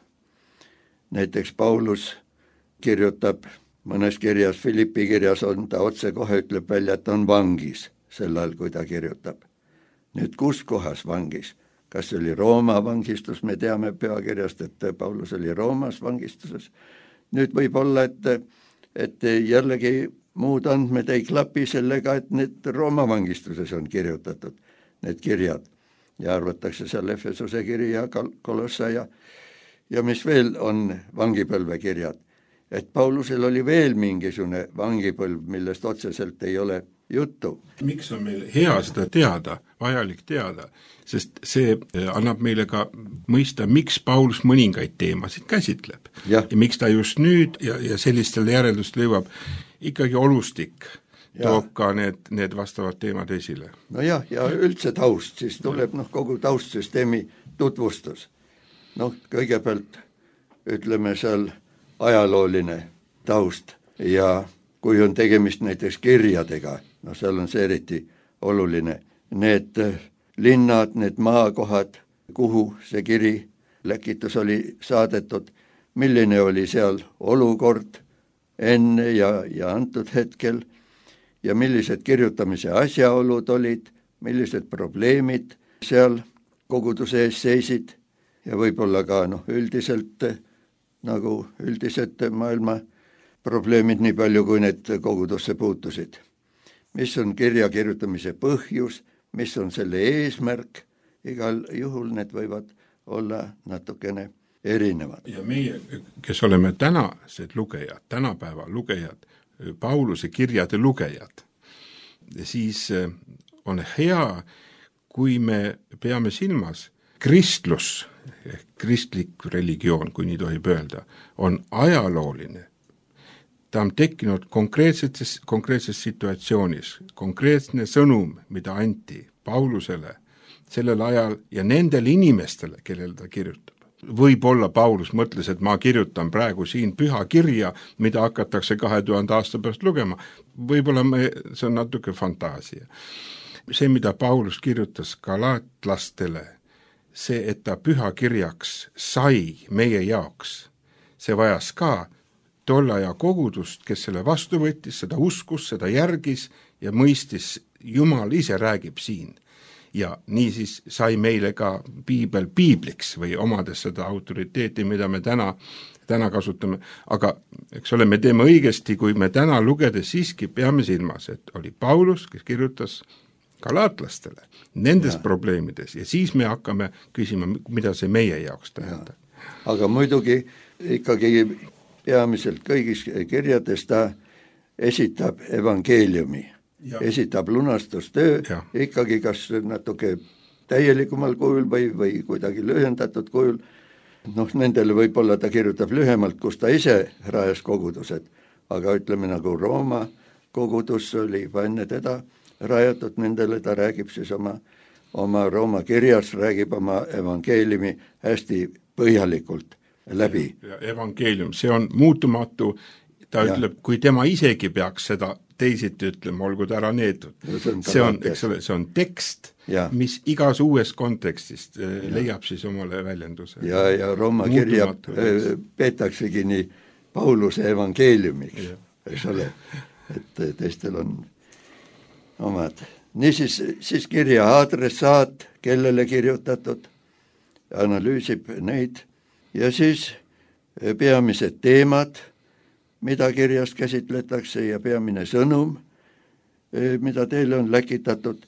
näiteks Paulus kirjutab mõnes kirjas, Filippi kirjas on ta otse kohe ütleb välja, et on vangis sel ajal, kui ta kirjutab. Nüüd kus kohas vangis? Kas oli Rooma vangistus, me teame peakirjast, et Paulus oli Roomas vangistuses. Nüüd võib olla, et, et jällegi muud andmed ei klapi sellega, et need Rooma vangistuses on kirjutatud, need kirjad. Ja arvatakse seal Efesuse kiri ja Kolossa ja, ja mis veel on vangipõlve kirjad. et Paulusel oli veel mingisugune vangipõlv, millest otseselt ei ole juttu. Miks on meil hea seda teada, vajalik teada, sest see annab meile ka mõista, miks Paulus mõningaid teemasid käsitleb. Ja, ja miks ta just nüüd ja, ja sellistele järeldust lõivab, ikkagi olustik ja toob ka need, need vastavad teemad esile. No jah, ja üldse taust, siis tuleb noh, kogu taustsüsteemi tutvustus. Noh, kõigepealt ütleme seal ajalooline taust ja kui on tegemist näiteks kirjadega, no seal on see eriti oluline, need linnad, need maakohad, kuhu see kiri, läkitus oli saadetud, milline oli seal olukord enne ja, ja antud hetkel ja millised kirjutamise asjaolud olid, millised probleemid seal koguduse ees seisid ja võib-olla ka noh, üldiselt nagu üldised maailma probleemid nii palju, kui need kogudusse puutusid. Mis on kirja kirjutamise põhjus, mis on selle eesmärk, igal juhul need võivad olla natukene erinevad. Ja meie, kes oleme tänased lugejad, tänapäeva lugejad, Pauluse kirjade lugejad, siis on hea, kui me peame silmas kristlus, kristlik religioon, kui nii tohib öelda, on ajalooline. Ta on tekkinud konkreetses, konkreetses situatsioonis, konkreetne sõnum, mida anti Paulusele sellel ajal ja nendele inimestele, kellele ta kirjutab. Võib-olla Paulus mõtles, et ma kirjutan praegu siin püha kirja, mida hakatakse kahe tuhande aasta pärast lugema. Võib-olla me, see on natuke fantaasia. See, mida Paulus kirjutas galaatlastele, see, et ta püha kirjaks sai meie jaoks, see vajas ka tolle aja kogudust, kes selle vastu võttis, seda uskus, seda järgis ja mõistis, Jumal ise räägib siin. Ja nii siis sai meile ka piibel piibliks või omades seda autoriteeti, mida me täna, täna kasutame. Aga eks ole, me teeme õigesti, kui me täna lugedes siiski peame silmas, et oli Paulus, kes kirjutas galaatlastele nendes ja probleemides ja siis me hakkame küsima, mida see meie jaoks tähendab. Aga muidugi ikkagi peamiselt kõigis kirjades ta esitab evangeeliumi, ja esitab lunastustöö ja ikkagi kas natuke täielikumal kujul või, või kuidagi lühendatud kujul. Noh, nendele võib-olla ta kirjutab lühemalt, kus ta ise rajas kogudused, aga ütleme nagu Rooma kogudus oli enne teda rajatud, nendele ta räägib siis oma, oma Rooma kirjas, räägib oma evangeeliumi hästi põhjalikult läbi. Ja, ja evangeelium, see on muutumatu, ta ja ütleb, kui tema isegi peaks seda teisiti ütlema, olgu ta ära neetud. See on, see on, eks ole, see on tekst, ja mis igas uues kontekstist ja leiab siis omale väljenduse. Ja, ja Rooma kirja peetaksegi nii Pauluse evangeeliumiks, eks ole, et teistel on omad. Niisiis siis kirja adressaat, kellele kirjutatud, analüüsib neid ja siis peamised teemad, mida kirjast käsitletakse ja peamine sõnum, mida teile on läkitatud.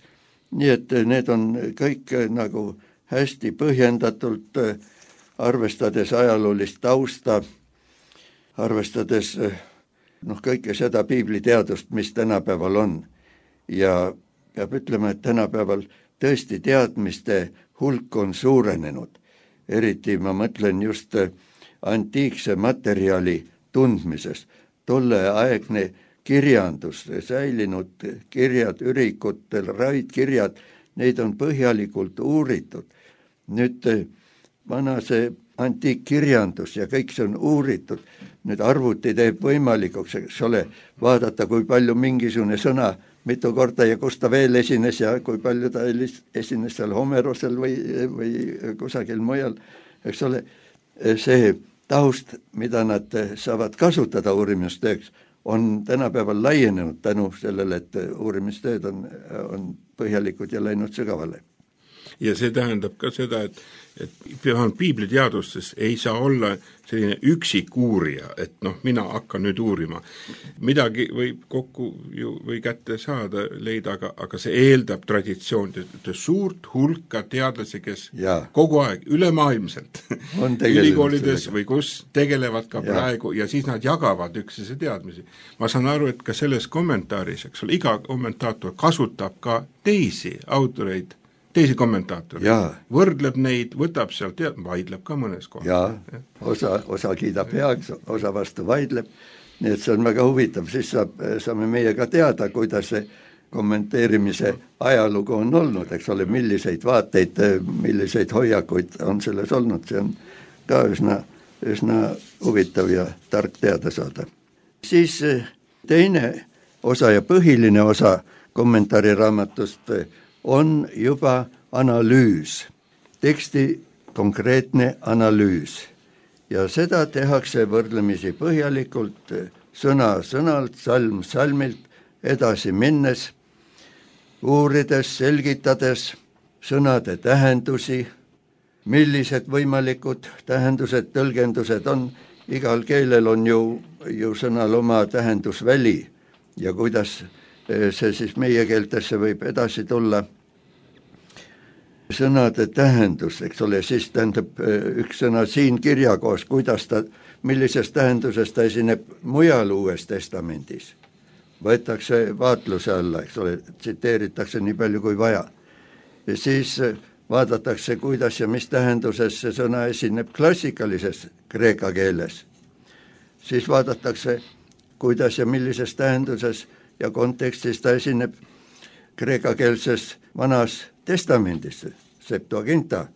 Nii et need on kõik nagu hästi põhjendatult, arvestades ajaloolist tausta, arvestades noh, kõike seda piibliteadust, mis tänapäeval on. Ja peab ütlema, et tänapäeval tõesti teadmiste hulk on suurenenud. Eriti ma mõtlen just antiikse materjali tundmises. Tolleaegne kirjandus, säilinud kirjad ürikutel, raidkirjad, neid on põhjalikult uuritud. Nüüd vana see antiikkirjandus ja kõik see on uuritud. Nüüd arvuti teeb võimalikuks, eks ole, vaadata, kui palju mingisugune sõna mitu korda ja kus ta veel esines ja kui palju ta esines seal Homerosel või, või kusagil mujal, eks ole, see taust, mida nad saavad kasutada uurimistööks, on tänapäeval laienenud tänu sellele, et uurimistööd on, on põhjalikud ja läinud sügavale. ja see tähendab ka seda, et et vähemalt piibliteadustes ei saa olla selline üksik uurija, et noh, mina hakkan nüüd uurima. Midagi võib kokku ju või kätte saada, leida, aga, aga see eeldab traditsioon, suurt hulka teadlasi, kes ja. kogu aeg ülemaailmselt ülikoolides või kus tegelevad ka ja. praegu ja siis nad jagavad üksteise teadmisi. Ma saan aru, et ka selles kommentaaris, eks ole, iga kommentaator kasutab ka teisi autoreid, teisi kommentaatoreid, võrdleb neid, võtab sealt ja vaidleb ka mõnes kohas. Jaa, osa, osa kiidab heaks, osa vastu vaidleb, nii et see on väga huvitav, siis saab, saame meie ka teada, kuidas see kommenteerimise ajalugu on olnud, eks ole, milliseid vaateid, milliseid hoiakuid on selles olnud, see on ka üsna, üsna huvitav ja tark teada saada. Siis teine osa ja põhiline osa kommentaariraamatust on juba analüüs, teksti konkreetne analüüs ja seda tehakse võrdlemisi põhjalikult sõna sõnalt, salm salmilt, edasi minnes, uurides, selgitades sõnade tähendusi, millised võimalikud tähendused, tõlgendused on, igal keelel on ju, ju sõnal oma tähendusväli ja kuidas see siis meie keeltesse võib edasi tulla. Sõnade tähendus, eks ole, siis tähendab üks sõna siin kirjakoos, kuidas ta, millises tähenduses ta esineb mujal Uues Testamendis. Võetakse vaatluse alla, eks ole, tsiteeritakse nii palju kui vaja. Ja siis vaadatakse, kuidas ja mis tähenduses see sõna esineb klassikalises kreeka keeles. Siis vaadatakse, kuidas ja millises tähenduses ja kontekstis ta esineb kreekakeelses vanas testamendis, Septuaginta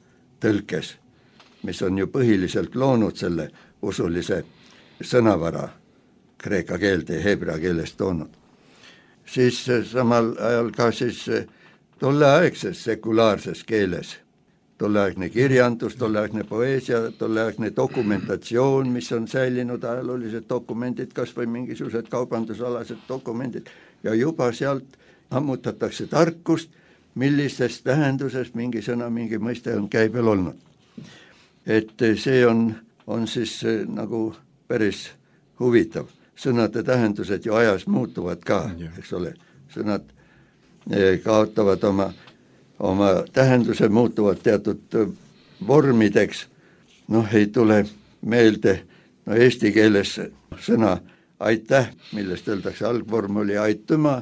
tõlkes, mis on ju põhiliselt loonud selle usulise sõnavara kreeka keelde ja heebrea keelest toonud. Siis samal ajal ka siis tolleaegses sekulaarses keeles, tolleaegne kirjandus, tolleaegne poeesia, tolleaegne dokumentatsioon, mis on säilinud ajaloolised dokumendid, kas või mingisugused kaubandusalased dokumendid ja juba sealt ammutatakse tarkust, millises tähenduses mingi sõna, mingi mõiste on käibel olnud. Et see on, on siis nagu päris huvitav. Sõnade tähendused ju ajas muutuvad ka, eks ole. Sõnad kaotavad oma oma tähenduse, muutuvad teatud vormideks, noh ei tule meelde, no eesti keeles sõna aitäh, millest öeldakse, algvorm oli aituma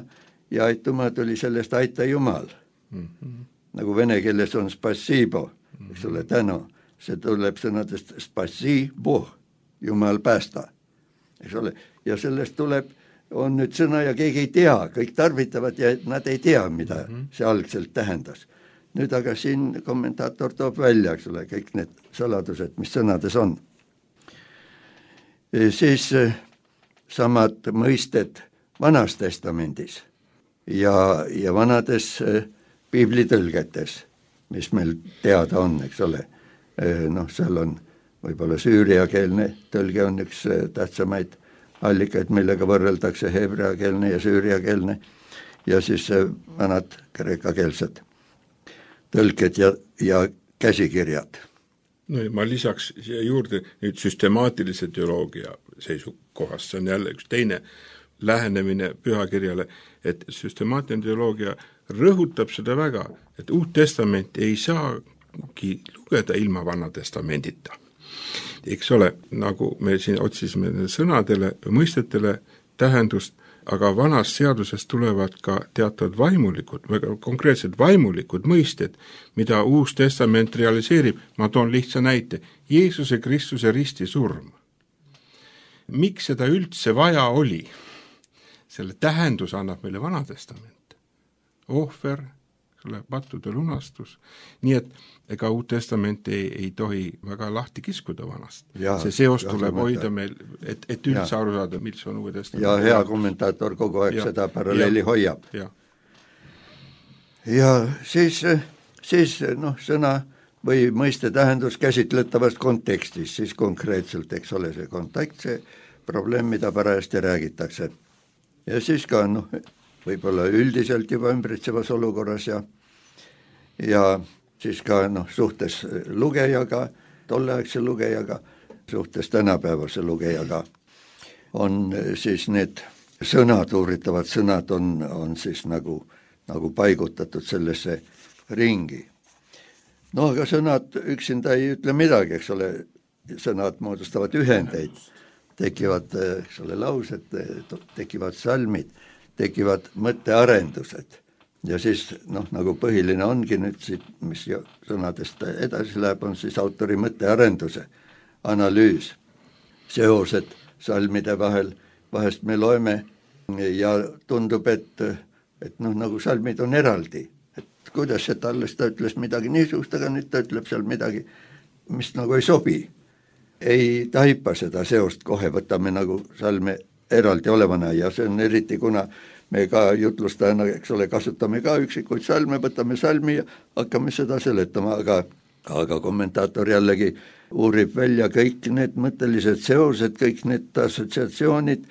ja aituma tuli sellest aita Jumal. Mm-hmm. Nagu vene keeles on spasibo, eks ole, tänu, see tuleb sõnadest spasibo, Jumal päästa, eks ole, ja sellest tuleb on nüüd sõna ja keegi ei tea, kõik tarvitavad ja nad ei tea, mida mm-hmm. see algselt tähendas. Nüüd aga siin kommentaator toob välja, eks ole, kõik need saladused, mis sõnades on. E, siis samad mõisted Vanas Testamendis ja, ja vanades piiblitõlgetes, mis meil teada on, eks ole. E, noh, seal on võib-olla süüriakeelne tõlge on üks tähtsamaid allikaid, millega võrreldakse heebreakeelne ja süüriakeelne ja siis vanad kreekakeelsed tõlked ja, ja käsikirjad. No ma lisaks juurde nüüd süstemaatilise teoloogia seisukohast, see on jälle üks teine lähenemine pühakirjale, et süstemaatiline teoloogia rõhutab seda väga, et Uut Testamenti ei saagi lugeda ilma Vana Testamendita. Eks ole, nagu me siin otsisime sõnadele, mõistetele tähendust, aga vanas seaduses tulevad ka teatud vaimulikud, väga konkreetsed vaimulikud mõisted, mida Uus Testament realiseerib. Ma toon lihtsa näite. Jeesuse Kristuse ristisurm. Miks seda üldse vaja oli? Selle tähendus annab meile Vana Testament. Ohver, pattude lunastus. Nii et ega Uut Testament ei, ei tohi väga lahti kiskuda vanast. Ja, see seos tuleb hoida meil, et, et üldse ja. aru saada, mis on Uue Testament. Ja hea kommentaator kogu aeg ja. seda paralleeli ja. hoiab. Ja, ja siis, siis noh, sõna või mõiste tähendus käsitletavast kontekstis, siis konkreetselt, eks ole, see kontakt, see probleem, mida parajasti räägitakse. Ja siis ka noh, võib-olla üldiselt juba ümbritsevas olukorras ja, ja siis ka noh, suhtes lugejaga, tolleaegse lugejaga, suhtes tänapäevase lugejaga on siis need sõnad, uuritavad sõnad on, on siis nagu, nagu paigutatud sellesse ringi. No aga sõnad üksinda ei ütle midagi, eks ole, sõnad moodustavad ühendeid, tekivad, eks ole, laused, tekivad salmid, tekivad mõttearendused ja siis noh, nagu põhiline ongi nüüd siit, mis sõnadest edasi läheb, on siis autori mõttearenduse analüüs, seosed salmide vahel, vahest me loeme ja tundub, et, et noh, nagu salmid on eraldi, et kuidas see alles ta ütles midagi niisugust, aga nüüd ta ütleb seal midagi, mis nagu ei sobi. Ei taipa seda seost kohe, võtame nagu salme eraldi olevana ja see on eriti, kuna me ka jutlustajana, eks ole, kasutame ka üksikuid salme, võtame salmi ja hakkame seda seletama, aga, aga kommentaator jällegi uurib välja kõik need mõttelised seosed, kõik need assotsiatsioonid,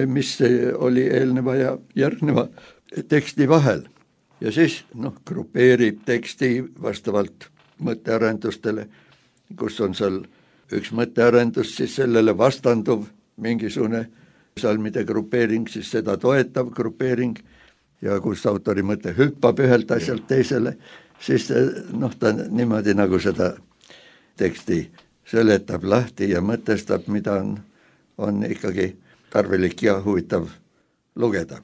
mis oli eelneva ja järgneva teksti vahel. Ja siis noh, grupeerib teksti vastavalt mõttearendustele, kus on seal üks mõttearendus, siis sellele vastanduv mingisugune salmide grupeering, siis seda toetav grupeering ja kus autori mõte hüppab ühelt asjalt teisele, siis noh, ta niimoodi nagu seda teksti seletab lahti ja mõtestab, mida on, on ikkagi tarvilik ja huvitav lugeda.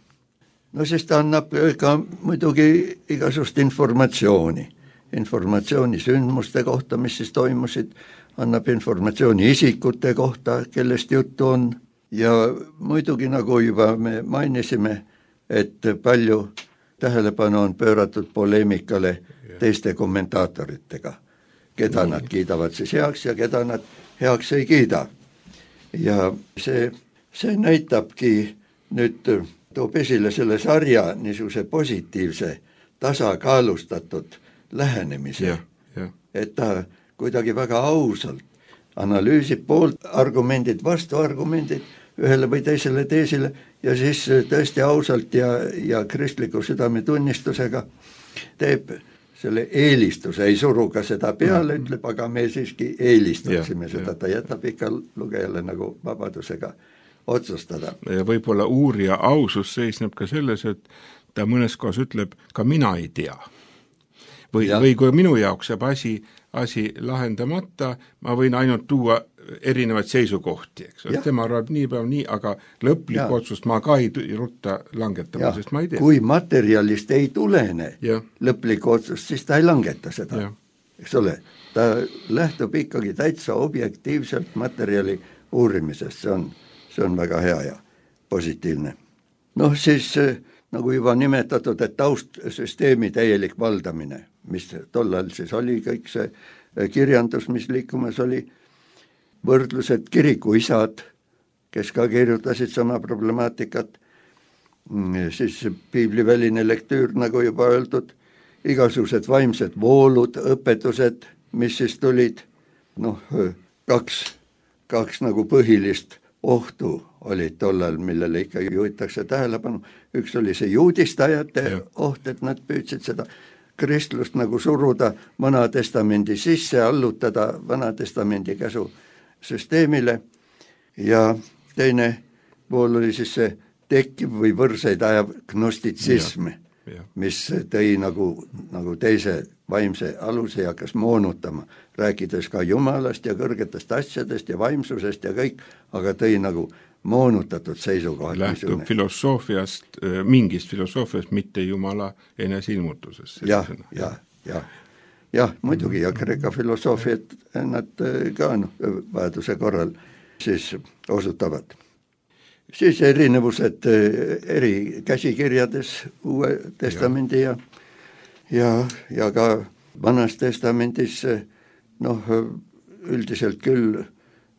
No siis ta annab ka muidugi igasugust informatsiooni, informatsiooni sündmuste kohta, mis siis toimusid, annab informatsiooni isikute kohta, kellest juttu on ja muidugi, nagu juba me mainisime, et palju tähelepanu on pööratud poleemikale teiste kommentaatoritega, keda nad kiidavad siis heaks ja keda nad heaks ei kiida. Ja see, see näitabki nüüd, toob esile selle sarja niisuguse positiivse, tasakaalustatud lähenemise, ja, ja. et ta kuidagi väga ausalt analüüsib poolt argumendid, vastuargumendid ühele või teisele teesile ja siis tõesti ausalt ja, ja kristliku südametunnistusega teeb selle eelistuse, ei suru ka seda peale, ütleb, aga me siiski eelistaksime ja, seda, ta jätab ikka lugejale nagu vabadusega otsustada. Ja võib-olla uurija ausus seisneb ka selles, et ta mõnes kohas ütleb, ka mina ei tea. Või, või kui minu jaoks jääb asi, asi lahendamata, ma võin ainult tuua erinevaid seisukohti, eks ole, tema arvab nii päev nii, aga lõplik otsust ma ka ei rutta langetama, sest ma ei tea. Kui materjalist ei tulene ja. lõplik otsust, siis ta ei langeta seda, eks ole, ta lähtub ikkagi täitsa objektiivselt materjali uurimisest, see on, see on väga hea ja positiivne. Noh, siis nagu juba nimetatud, et taustsüsteemi täielik valdamine, mis tollal siis oli kõik see kirjandus, mis liikumas oli, võrdlused kirikuisad, kes ka kirjutasid sama problemaatikat, siis piibliväline lektüür, nagu juba öeldud, igasugused vaimsed voolud, õpetused, mis siis tulid, noh, kaks, kaks nagu põhilist ohtu olid tollal, millele ikka juhitakse tähelepanu. Üks oli see juudistajate ja. oht, et nad püüdsid seda kristlust nagu suruda Vana Testamendi sisse, allutada Vana Testamendi käsu süsteemile ja teine pool oli siis see tekkiv või võrseid ajav gnostitsism, mis tõi nagu, nagu teise vaimse aluse ja hakkas moonutama, rääkides ka Jumalast ja kõrgetest asjadest ja vaimsusest ja kõik, aga tõi nagu moonutatud seisukohad. Lähtub filosoofiast, mingist filosoofiast, mitte Jumala enesilmutusest. jah, jah, jah. Jah, muidugi ja Kreeka filosoofiat nad ka no, vajaduse korral siis osutavad. Siis erinevused eri käsikirjades Uue Testamendi ja, ja, ja ka Vanas Testamendis noh, üldiselt küll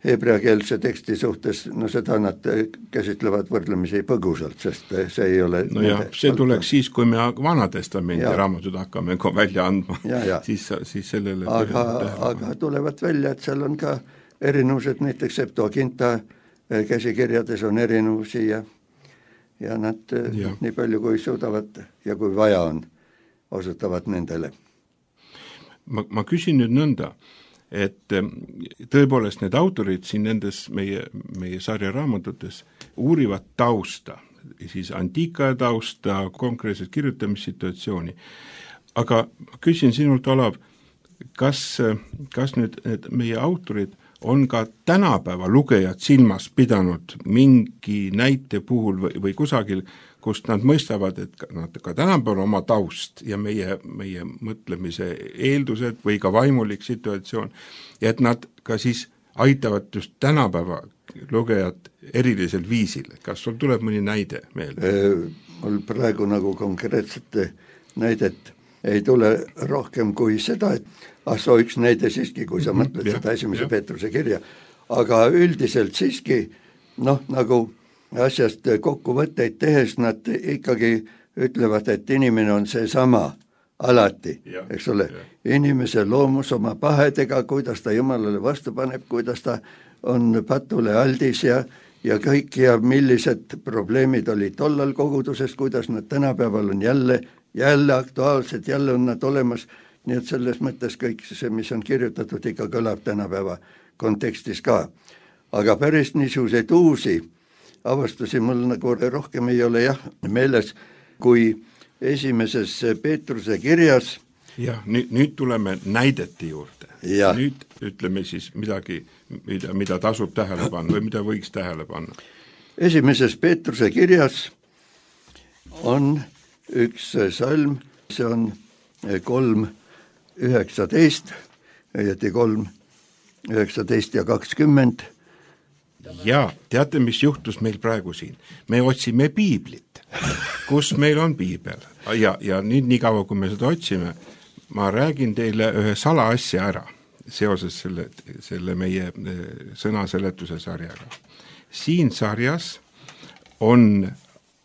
heebreakeelse teksti suhtes, no seda nad käsitlevad võrdlemisi põgusalt, sest see ei ole... No jah, see tuleks siis, kui me Vana Testamendi raamatud hakkame välja andma, ja, ja. siis, siis sellele... Aga, aga tulevad välja, et seal on ka erinevused, näiteks Septuaginta käsikirjades on erinevusi ja, ja nad ja. nii palju, kui suudavad ja kui vaja on, osutavad nendele. ma, ma küsin nüüd nõnda, et tõepoolest need autorid siin nendes meie, meie sarja raamatutes uurivad tausta, siis antiikaja tausta, konkreetset kirjutamissituatsiooni. Aga ma küsin sinult, Olav, kas, kas nüüd need meie autorid on ka tänapäeva lugejad silmas pidanud mingi näite puhul või, või kusagil, kust nad mõistavad, et nad ka tänapäeval oma taust ja meie, meie mõtlemise eeldused või ka vaimulik situatsioon, ja et nad ka siis aitavad just tänapäeva lugejad erilisel viisil. Kas sul tuleb mõni näide meelde? Mul praegu nagu konkreetsete näidet ei tule rohkem kui seda, et ah, soo üks näide siiski, kui sa mõtled mm-hmm, seda esimese ja. Peetruse kirja, aga üldiselt siiski noh, nagu asjast kokkuvõtteid tehes nad ikkagi ütlevad, et inimene on see sama alati, ja, eks ole, ja. Inimese loomus oma pahedega, kuidas ta Jumalale vastu paneb, kuidas ta on patule aldis ja, ja kõik ja millised probleemid olid tollal koguduses, kuidas nad tänapäeval on jälle, jälle aktuaalsed, jälle on nad olemas, nii et selles mõttes kõik see, mis on kirjutatud, ikka kõlab tänapäeva kontekstis ka. Aga päris niisuguseid uusi avastusi mul nagu rohkem ei ole jah meeles, kui esimeses Peetruse kirjas. Jah, nüüd, nüüd tuleme näidete juurde. Ja. Nüüd ütleme siis midagi, mida, mida tasub tähele panna või mida võiks tähele panna. Esimeses Peetruse kirjas on üks salm, see on kolm üheksateist, õieti kolm üheksateist ja kakskümmend. Ja teate, mis juhtus meil praegu siin? Me otsime piiblit, kus meil on piibel. Ja, ja nüüd nii kaua, kui me seda otsime, ma räägin teile ühe salaasja ära seoses selle, selle meie sõnaseletuse sarjaga. Siin sarjas on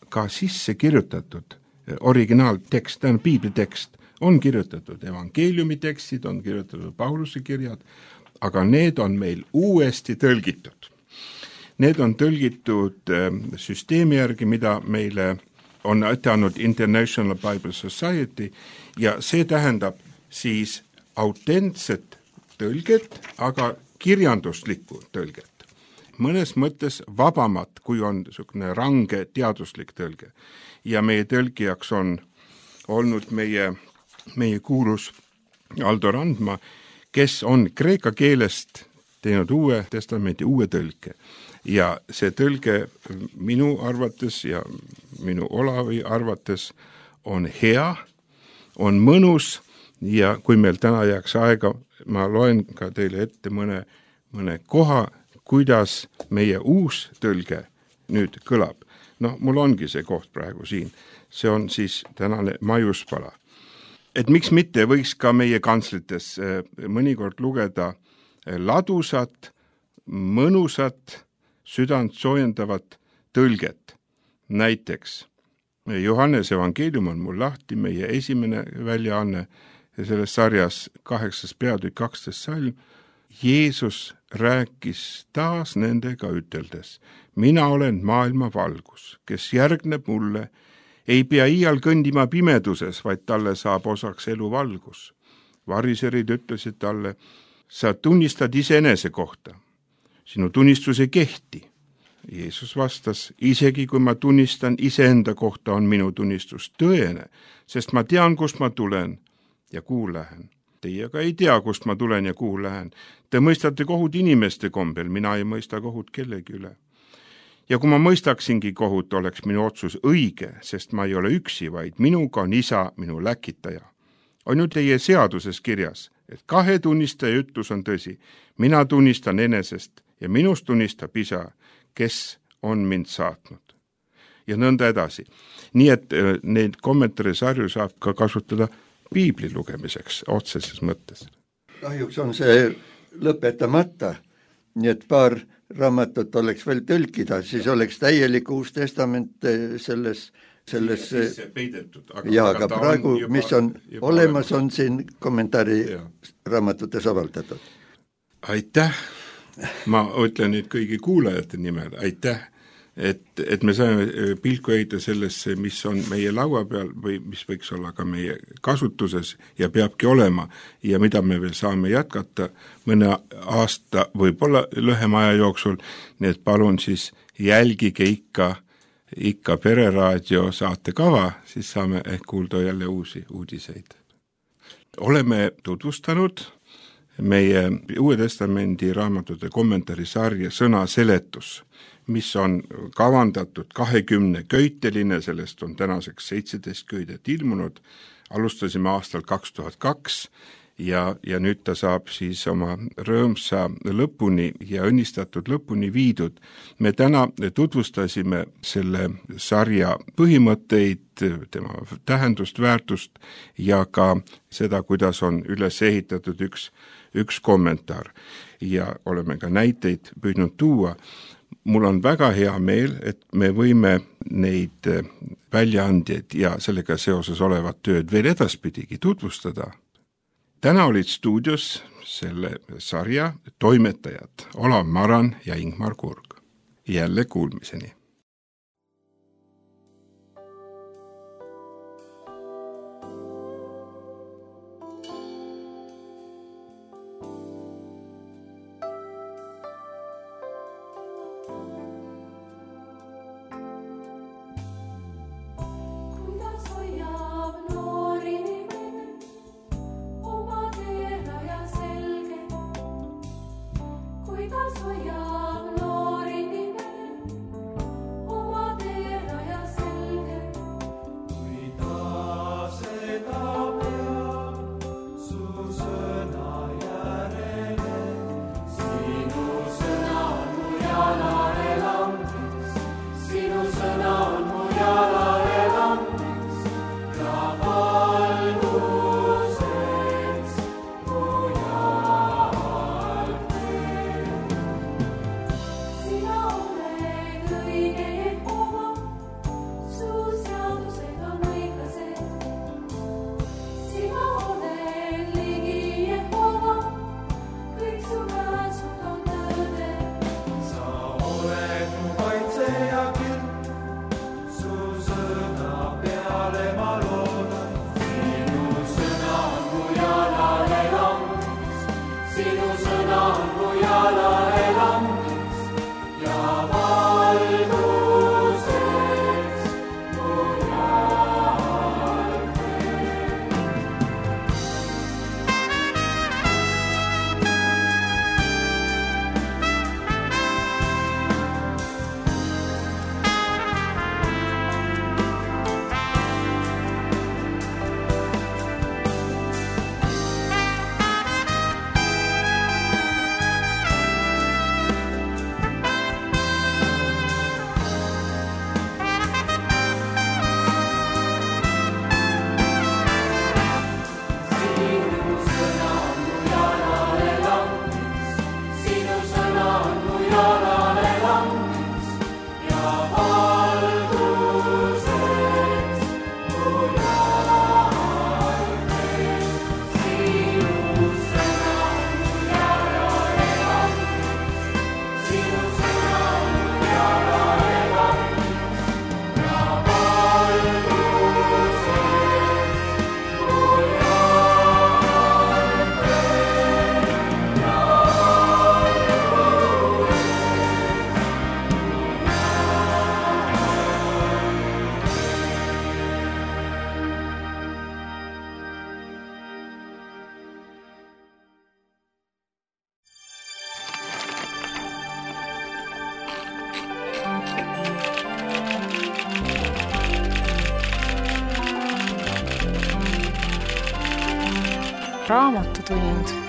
ka sisse kirjutatud originaaltekst, tähendab piiblitekst, on kirjutatud evangeeliumi tekstid, on kirjutatud Pauluse kirjad, aga need on meil uuesti tõlgitud. Need on tõlgitud süsteemi järgi, mida meile on ette andnud International Bible Society ja see tähendab siis autentset tõlget, aga kirjanduslikku tõlget. Mõnes mõttes vabamat, kui on niisugune range teaduslik tõlge. Ja meie tõlgijaks on olnud meie, meie kuulus Aldo Randma, kes on kreeka keelest teinud uue testamendi uue tõlke. Ja see tõlge minu arvates ja minu Olavi arvates on hea, on mõnus ja kui meil täna jääks aega, ma loen ka teile ette mõne, mõne koha, kuidas meie uus tõlge nüüd kõlab. No mul ongi see koht praegu siin. See on siis tänane maiuspala. Et miks mitte võiks ka meie kantslites mõnikord lugeda ladusat, mõnusat, südant soojendavat tõlget. Näiteks Johannes evangeelium on mul lahti, meie esimene väljaanne selles sarjas kaheksas peatükk kaksteist salm. Jeesus rääkis taas nendega üteldes, mina olen maailma valgus, kes järgneb mulle, ei pea iial kõndima pimeduses, vaid talle saab osaks elu valgus. Variserid ütlesid talle, sa tunnistad iseenese kohta. Sinu tunnistus ei kehti. Jeesus vastas, isegi kui ma tunnistan iseenda kohta, on minu tunnistus tõene, sest ma tean, kust ma tulen ja kuhu lähen. Teie aga ei tea, kust ma tulen ja kuhu lähen. Te mõistate kohut inimeste kombel, mina ei mõista kohut kellegi üle. Ja kui ma mõistaksingi kohut, oleks minu otsus õige, sest ma ei ole üksi, vaid minuga on isa, minu läkitaja. On ju teie seaduses kirjas, et kahe tunnistaja ütlus on tõsi. Mina tunnistan enesest ja minust tunnistab isa, kes on mind saatnud. Ja nõnda edasi. Nii et neid kommentaare sarju saab ka kasutada piibli lugemiseks otseses mõttes. Kahjuks on see lõpetamata, nii et paar raamatut oleks veel tõlkida, siis oleks täielik uus testament selles, selles peidetud, aga, ja, aga, aga praegu, juba, mis on olemas, on siin kommentaari ja. Raamatutes avaldatud. Aitäh, ma ütlen nüüd kõigi kuulajate nimel, aitäh et, et me saame pilku heita sellesse, mis on meie laua peal või mis võiks olla ka meie kasutuses ja peabki olema ja mida me veel saame jätkata mõne aasta, võib-olla lühema aja jooksul, nii et palun siis jälgige ikka, ikka Pereraadio saatekava, siis saame ehk kuulda jälle uusi uudiseid. Oleme tutvustanud meie Uue Testamendi raamatute kommentaarisarja Sõna seletus, mis on kavandatud kahekümne köiteline, sellest on tänaseks seitseteist köidet ilmunud, alustasime aastal kaks tuhat kaks ja, ja nüüd ta saab siis oma rõõmsa lõpuni ja õnnistatud lõpuni viidud. Me täna tutvustasime selle sarja põhimõtteid, tema tähendust, väärtust ja ka seda, kuidas on üles ehitatud üks, üks kommentaar ja oleme ka näiteid püüdnud tuua. Mul on väga hea meel, et me võime neid väljaandjaid ja sellega seoses olevat tööd veel edaspidigi tutvustada. Täna olid stuudios selle sarja toimetajad Olav Maran ja Ingmar Kurg. Jälle kuulmiseni. Raamatutund.